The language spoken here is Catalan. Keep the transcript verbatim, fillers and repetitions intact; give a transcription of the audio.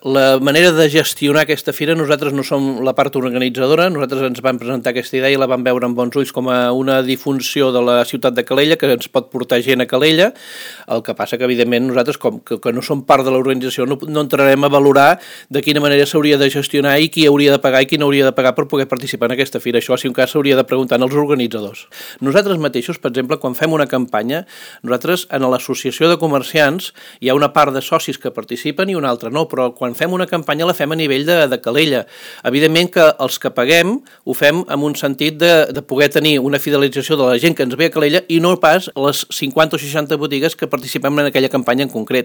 La manera de gestionar aquesta fira, nosaltres no som la part organitzadora, nosaltres ens vam presentar aquesta idea i la vam veure amb bons ulls com a una difunció de la ciutat de Calella, que ens pot portar gent a Calella. El que passa que, evidentment, nosaltres, com que, que no som part de l'organització, no, no entrarem a valorar de quina manera s'hauria de gestionar i qui hauria de pagar i qui no hauria de pagar per poder participar en aquesta fira. Això, si un cas, s'hauria de preguntar als organitzadors. Nosaltres mateixos, per exemple, quan fem una campanya, nosaltres, en l'associació de comerciants, hi ha una part de socis que participen i una altra no, però quan fem una campanya la fem a nivell de, de Calella. Evidentment que els que paguem ho fem en un sentit de, de poder tenir una fidelització de la gent que ens ve a Calella i no pas les cinquanta o seixanta botigues que participem en aquella campanya en concret.